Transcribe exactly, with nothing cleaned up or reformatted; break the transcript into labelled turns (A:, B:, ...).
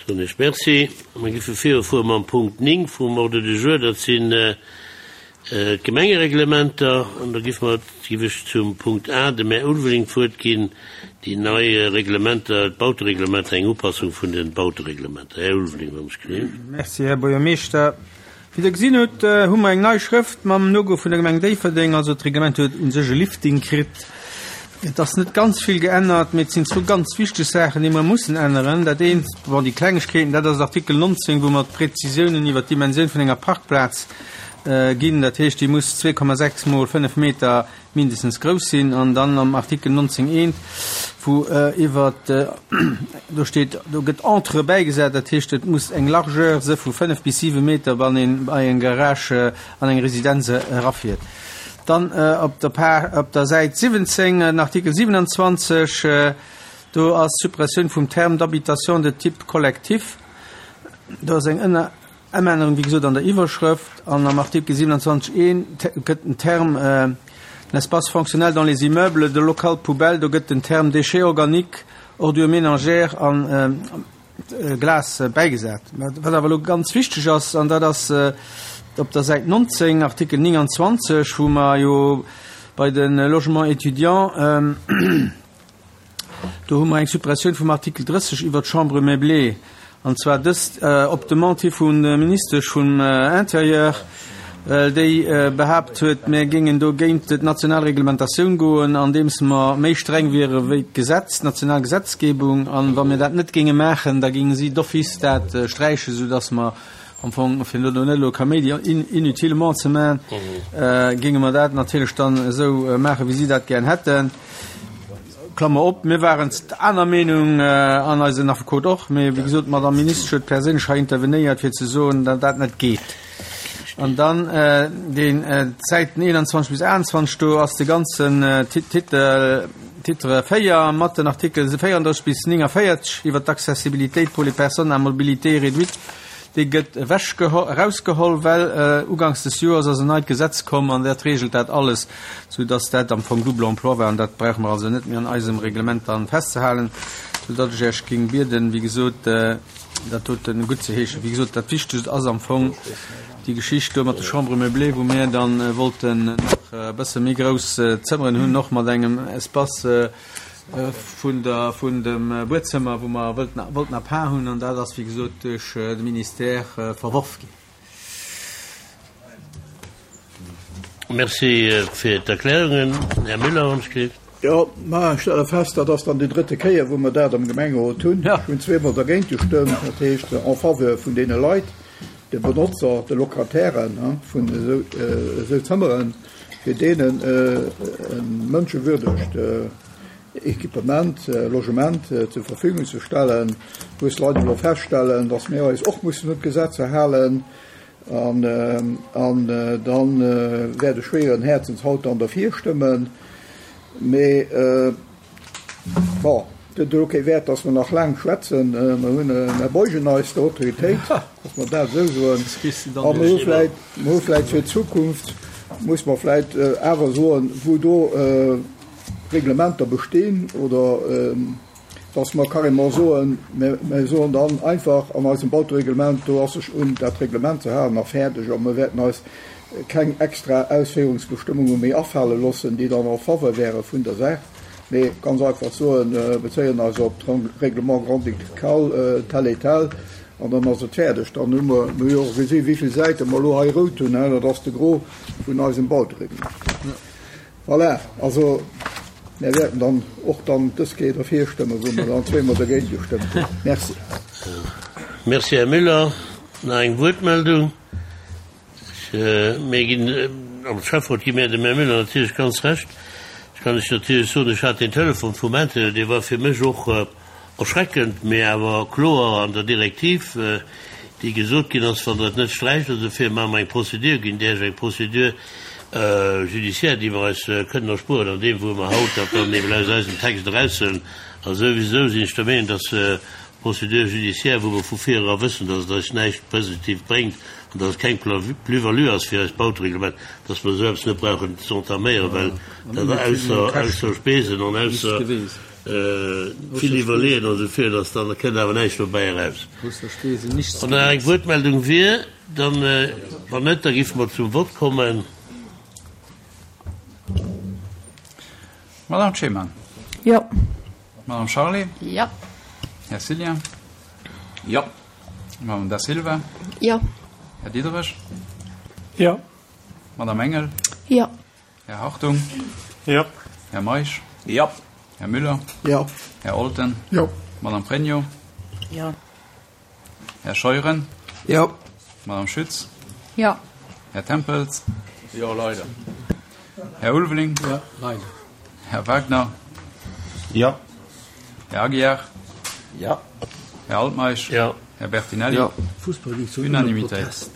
A: Soen ech Merci. Mir géife virufuere mam Punkt néng vum Ordre du jour, dat sinn d'Gemengereglementer. An da géife mer, géif ech zum Punkt A dem Här Ulveling d'Wuert ginn, déi nei Reglementer, d'Bautereglementer, eng Upassung vun de Bautereglementer. Här Ulveling, wann ech gesinn.
B: Merci, Här Buergermeeschter. Wéi Der gesinn hutt, hu mer eng nei Schrëft mam Logo vun der Gemeng Déifferdeng. Also d'Reglement huet u sech e Lifting kritt. Et ass net ganz vill geännert, mee et sinn zwou ganz wichteg Saachen, déi mer mussen änneren. Dat eent, bon, déi Klengegkeeten, dat ass Artikel nonzéng, wou mer d'Prezisiounen iwwert d'Dimensioun vun enger Parkplaz ginn. Dat heescht, déi muss zwee Komma sechs mol fënnef Meter mindestens grouss sinn. An dann am Artikel nonzéng eent, wou iwwert, do steet, do gëtt entre bäigesat, dat heescht, et muss eng Largeur se vu fënnef bis siwe Meter, wann een bei eng Garage an eng Residenz erafiert. Dann op der Page, op der Säit siwwenzéng, den Artikel siwenanzwanzeg, do ass d'Suppressioun vum Terme d'habitation de type collectif. Do ass eng Ënner Ëmännerung, wéi gesot, an der Iwwerschrëft. An am Artikel siewenanzwanzeg eent gëtt den Terme l'espace fonctionnel dans les immeubles de local poubelle, do gëtt den Terme déchets organiques, ordures ménagères an Glas bäigesat. Wat awer elo ganz wichteg ass, an dat ass op der Säit nonzéng, Artikel nénganzwanzeg, wou mer jo bei de Logements étudiants, do hu mer eng Suppressioun vum Artikel drësseg iwwer d'Chambre meublée, an zwar dëst op Demande hi vun der Ministesch vum Intérieur, well déi behaapt huet, mir géingen do géint d'national Reglementatioun goen, andeems mer méi streng wiere wéi d'Gesetz, d'national Gesetzgebung. An wa mir dat net géinge maachen, da géinge si d'office dat sträichen, soudass mer am Fong, fir elo net elo Kaméidi inutilement ze maachen, géinge mer dat natierlech dann esou maachen, wéi si dat gären hätten. Klammer op, mir waren aner Meenung an eisen Affekot och, mee wéi gesot, d'Madame Ministesch huet perséinlech hei intervenéiert, fir ze soen, datt dat net geet. An dann den Säiten eenanzwanzeg bis aachtanzwanzeg, do ass de ganzen Titel, Titre véier mat den Artikel véierunddrësseg bis néngavéierzeg iwwer d'Accessibilité pour les personnes à mobilité réduite, dee gëtt erausgeholl, well uganks des Joers ass en neit Gesetz komm an dat regelt dat alles, soudass dat am Fong double emploi war an dat brauche mer also net méi an eisem Reglement dann festzehalen, soudatt ech Iech géing bieden, wéi gesot, dat doten guttzeheeschen. Wéi gesot, dat Wichtegst ass am Fong déi Geschicht do mat de Chambres meublées, wou mir dann wollten nach e bësse méi grouss Zëmmeren hunn, och mat engem Espace vun der, vun dem Buedzëmmer, wou mer wëllten, wollten à part hunn, an dat ass, wéi gesot, duerch de Ministère verworf ginn.
A: Merci fir d'Erklärungen. Här Müller, wann ech gleef.
C: Jo, ma ech stelle fest, dat ass dann déi drëtte Kéier, wou mer dat am Gemengerot hunn. Ech hunn zweemol dergéint gestëmmt, dat heescht en faveur vun deene Leit, de Benotzer, de Locatairen vun esou, esou Zëmmeren, fir deenen e mënschewürdegt Equipement, Logement zur Verfügung ze stellen. Muss leider elo feststellen, dass mir eis och mussen un d'Gesetzer halen. An, an dann wäert ech schwéieren Häerzens haut dann derfir stëmmen. Mee, bon, et huet elo kee Wäert, dass mer nach laang schwätzen. Mer hunn, mer beugen eis der Autoritéit, dass mer dat esou soen. A mer hu vläicht, mer hu vläicht fir d'Zukunft, muss mer vläicht awer soen, wou do Reglementer bestinn oder dass mer carrément soen, mir soen dann einfach an eisem Bautereglement, do ass sech un dat Reglement ze halen a fäerdeg, a mir wäerten eis keng extra Ausféierungsbestëmmunge méi afale loossen, déi dann en faveur wäere vun der Saach, mee ganz einfach soen, bezéien eis op d'Règlement grand-ducal tel et tel an dann ass et fäerdeg. Dann hu mer, mir hu jo och gesi wéi vill Säite mer elo hei rout hunn, dat ass de Gros vun eisem Bautereglement. Voilà, also mir wäerten dann och dann dës Kéier derfir stëmmen, wou mer dann zweemol dergéint gestëmmt hunn. Merci.
A: Merci, Här Müller. Nach eng Wuertmeldung? Mir ginn, am Schäfferot gi mir dem Här Müller natierlech ganz Recht. Ech kann lech natierlech soen, ech hat deen Telefon vum Intérieur, dee war fir mech och erschreckend, mee awer kloer an der Direktiv, déi gesot ginn ass, wann Der et net sträicht, also dofir maache mer eng Procédure, ginn där ech eng Procédure judiciaire, déi mer eis kënnen erspueren an deem, wou mer haut dat dann eben aus eisem Text eraushuelen. A souwisou sinn ech der Meenung, dass d'Procédure judiciaire, wou mer vu vir era wëssen, dass et eis näischt Positives bréngt an dass et keng Plus-value ass fir eist Bautereglement, dass mer esou eppes net brauchen ze entaméieren, well dat ausser, ausser Spesen an ausser Vill iwwerleeën an esou virun, dass dann kënnt awer näischt dobäi eraus. Wann nach eng Wuertmeldung wier, dann, wann net, da géife mer zum Vott kommen.
D: Madame Cheman.
E: Jo.
D: Madame Charlé.
E: Jo.
D: Här Cillien.
F: Jo.
D: Madame Da Silva.
E: Jo.
D: Här Diderich.
G: Jo.
D: Madame Engel.
E: Jo.
D: Här Hartung.
G: Jo.
D: Här Meisch.
F: Jo.
D: Här Müller.
C: Jo.
D: Här Olten.
C: Jo.
D: Madame Pregno.
E: Jo.
D: Här Scheuren.
B: Jo.
D: Madame Schütz.
E: Jo.
D: Här Tempels.
F: Jo, leider.
D: Här Ulveling.
B: Jo, leider.
D: Här Wagner.
F: Jo.
D: Här Aguiar.
F: Jo.
D: Här Altmeisch.
A: Jo.
D: Här Bertinelli.
B: Jo.
D: Unanimitéit.